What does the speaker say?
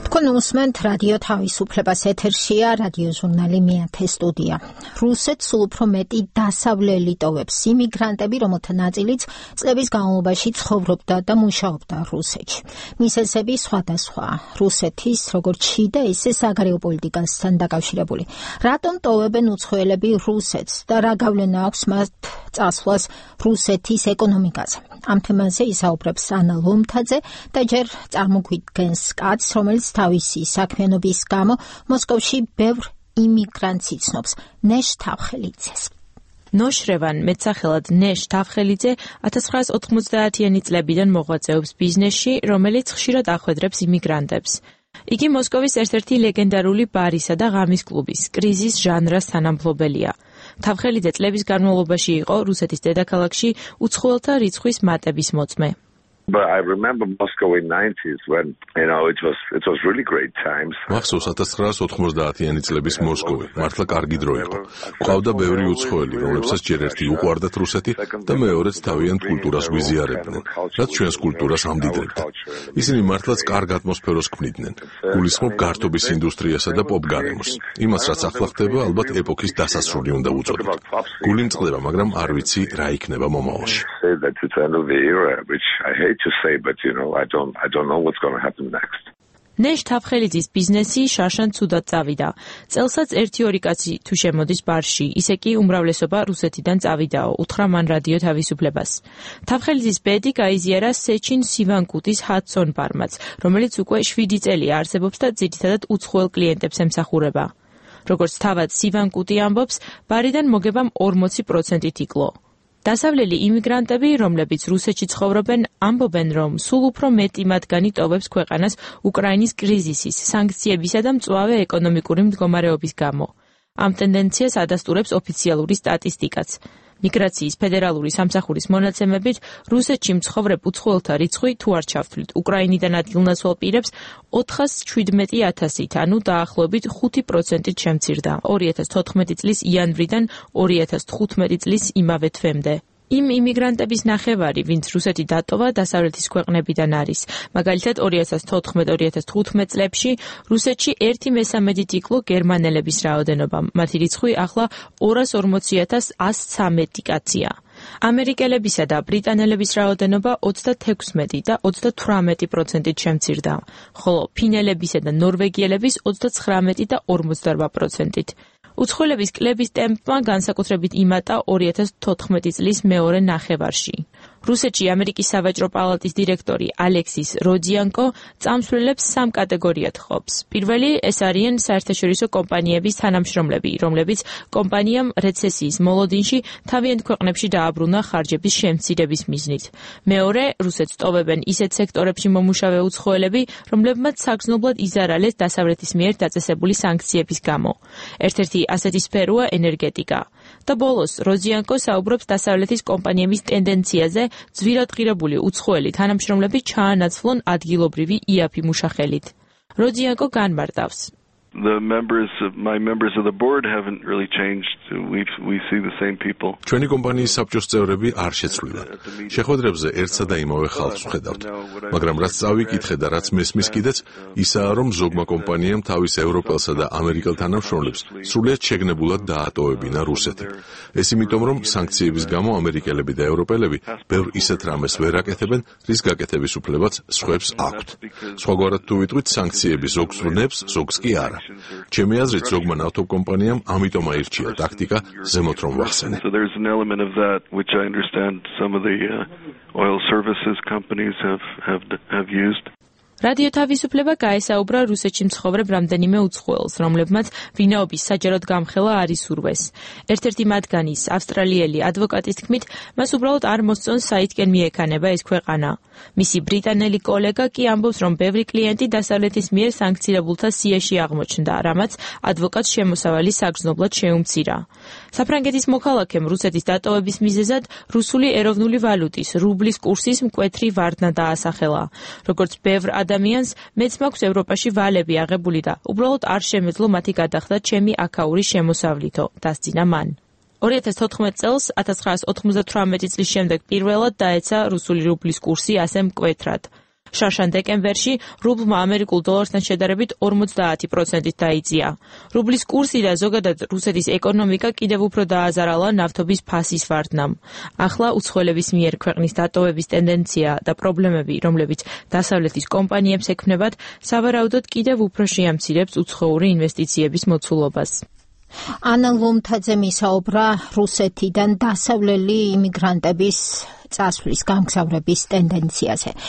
თქვენ უსმენთ რადიო თავისუფლებას, ეთერშია რადიო ჟურნალი მეათე სტუდია. რუსეთს სულ უფრო მეტი დასავლელი ტოვებს იმიგრანტები, რომელთა ნაწილიც წლების განმავლობაში ცხოვრობდა და მუშაობდა რუსეთში. მიზეზები სხვადასხვაა. რუსეთის როგორც შიდა, ისე საგარეო პოლიტიკასთან დაკავშირებული. რატომ ტოვებენ უცხოელები რუსეთს და რა გავლენა აქვს მათ წასვლას რუსეთის ეკონომიკაზე? ამ თემაზე ისაუბრებს ანა ლომთაძე და ჯერ წარმოგვიდგენს კაცს, რომელიც თავისი საქმიანობის გამო მოსკოვში ბევრ იმიგრანტს იცნობს, ნეშ თავხელიძეს. ნოშრევან მეტსახელად ნეშ თავხელიძე 1990-იანი წლებიდან მოღვაწეობს ბიზნესში, რომელიც ხშირად ახვედრებს იმიგრანტებს. იგი მოსკოვის ერთ-ერთი ლეგენდარული ბარისა და ღამის კლუბის კრიზის ჟანრას თანამფლობელია. თავხელიძე წლების განმავლობაში იყო რუსეთის დედაქალაქში უცხოელთა რიცხვის მატების მოწმე. But I remember Moscow in 90s when, it was really great times. მახსოვს 1990-იანი წლების მოსკოვი, მართლა კარგი დრო იყო. ყავდა ბევრი უცხოელი, რომლებსაც ჯერ ერთი უყვარდათ რუსეთი და მეორეც თავიანთ კულტურას გვიზიარებდნენ, რაც ჩვენს კულტურას ამდიდრებდა. ისინი მართლაც კარგ ატმოსფეროს ქმნიდნენ. გულისხმობ გართობის ინდუსტრიასა და პოპ გარემოს. იმას, რაც ახლა ხდება, ალბათ ეპოქის დასასრული უნდა უწოდოთ. გული მწყდება, მაგრამ არ ვიცი რა იქნება მომავალში. To say, but I don't know what's going to happen next. ნეშ თავხელიძის ბიზნესი შარშან ცუდად წავიდა. წელსაც 1-2 კაცი თუ შემოდის ბარში, ისე კი უმრავლესობა რუსეთიდან წავიდაო, უთხრა მან რადიო თავისუფლებას. თავხელიძის ბედი გაიზიარა სეჩინ სივანკუტის ჰადსონ ბარმაც, რომელიც უკვე 7 წელია არსებობს და ძირითადად უცხოელ კლიენტებს ემსახურება. როგორც თავად სივანკუტი ამბობს, ბარიდან მოგებამ 40%-ით იკლო. დასავლელი იმიგრანტები, რომლებიც რუსეთში ცხოვრობენ, ამბობენ, რომ სულ უფრო მეტი მათგანი ტოვებს ქვეყანას უკრაინის კრიზისის, სანქციებისა და მწვავე ეკონომიკური მდგომარეობის გამო. ამ ტენდენციას ადასტურებს ოფიციალური სტატისტიკაც. მიგრაციის ფედერალური სამსახურის მონაცემებით, რუსეთში მცხოვრებ უცხოელთა რიცხვი, თუ არ ჩავთვლით უკრაინიდან ადგილნაცვალ პირებს, 417,000-ით, ანუ დაახლოებით 5%-ით შემცირდა 2014 წლის იანვრიდან 2015 წლის იმავე თვემდე. იმ იმიგრანტების ნახევარი, ვინც რუსეთი დატოვა, დასავლეთის ქვეყნებიდან არის. მაგალითად 2014-2015 წლებში რუსეთში 1/3-ით იკლო გერმანელების რაოდენობა. მათი რიცხვი ახლა 240,113 კაცია. ამერიკელებისა და ბრიტანელების რაოდენობა 26 და 38%-ით შემცირდა, ხოლო ფინელებისა და ნორვეგიელების 39 და 48%-ით. უცხოელების კლების ტემპმა განსაკუთრებით იმატა 2014 წლის მეორე ნახევარში. რუსეთში ამერიკის სავაჭრო პალატის დირექტორი ალექსის როძიანკო წამსვლელებს 3 კატეგორიად ყოფს. პირველი ეს არიან საერთაშორისო კომპანიების თანამშრომლები, რომლებიც კომპანიამ რეცესიის მოლოდინში თავიანთ ქვეყნებში დააბრუნა ხარჯების შემცირების მიზნით. მეორე, რუსეთს ტოვებენ ისეთ სექტორებში მომუშავე უცხოელები, რომლებმაც საგრძნობლად იზარალეს დასავლეთის მიერ დაწესებული სანქციების გამო. ერთ-ერთი ასეთი სფეროა ენერგეტიკა. და ბოლოს, როძიანკო საუბრობს დასავლეთის კომპანიების ტენდენციაზე ძვირად ღირებული უცხოელი თანამშრომლები ჩაანაცვლონ ადგილობრივი იაფი მუშახელით. როძიანკო განმარტავს. My members of the board haven't really changed. We see the same people. ჩვენი კომპანიის საბჭოს წევრები არ შეცვლილან. შეხვედრებზე ერთსა და იმავე ხალხს ვხედავთ. მაგრამ რაც წავიკითხე და რაც მესმის კიდეც, ისაა, რომ ზოგმა კომპანიამ თავის ევროპელსა და ამერიკელ თანამშრომლებს სრულიად შეგნებულად დაატოვებინა რუსეთი. ეს იმიტომ, რომ სანქციების გამო ამერიკელები და ევროპელები ბევრ ისეთ რამეს ვერ აკეთებენ, რის გაკეთების უფლებაც სხვებს აქვთ. სხვაგვარად თუ ვიტყვით, სანქციები ზოგს ვნებს, ზოგს კი არა. ჩემი აზრით, ზოგმა ნავთობ კომპანიამ ამიტომ აირჩია ტაქტიკა ზემოთ რომ ვახსენე. So there's an element of that which I understand some of the oil services companies have used. რადიო თავისუფლება გაესაუბრა რუსეთში მცხოვრებ რამდენიმე უცხოელს, რომლებმაც ვინაობის საჯაროდ გამხელა არ ისურვეს. ერთ-ერთი მათგანის ავსტრალიელი ადვოკატის თქმით, მას უბრალოდ არ მოსწონს საითკენ მიექანება ეს ქვეყანა. მისი ბრიტანელი კოლეგა კი ამბობს, რომ ბევრი კლიენტი დასავლეთის მიერ სანქცირებულთა სიაში აღმოჩნდა, რამაც ადვოკატს შემოსავალი საგრძნობლად შეუმცირა. საფრანგეთის მოქალაქემ რუსეთის დატოვების მიზეზად რუსული ეროვნული ვალუტის, რუბლის კურსის მკვეთრი ვარდნა დაასახელა. როგორც ბევრ ადამიანს, მეც მაქვს ევროპაში ვალები აღებული და უბრალოდ არ შემეძლო მათი გადახდა ჩემი აქაური შემოსავლითო, დასძინა მან. 2014 წელს 1998 წლის შემდეგ პირველად დაეცა რუსული რუბლის კურსი ასე მკვეთრად. შარშან დეკემბერში რუბლმა ამერიკულ დოლართან შედარებით 50%-ით დაიწია. რუბლის კურსი და ზოგადად რუსეთის ეკონომიკა კიდევ უფრო დააზარალა ნავთობის ფასის ვარდნამ. ახლა უცხოელების მიერ ქვეყნის დატოვების ტენდენცია და პრობლემები, რომლებიც დასავლეთის კომპანიებს ექმნებათ, სავარაუდოდ კიდევ უფრო შეამცირებს უცხოური ინვესტიციების მოცულობას. ანა ლომთაძე მისაუბრა რუსეთიდან დასავლელი იმიგრანტების წასვლის გამგზავრების ტენდენციაზე.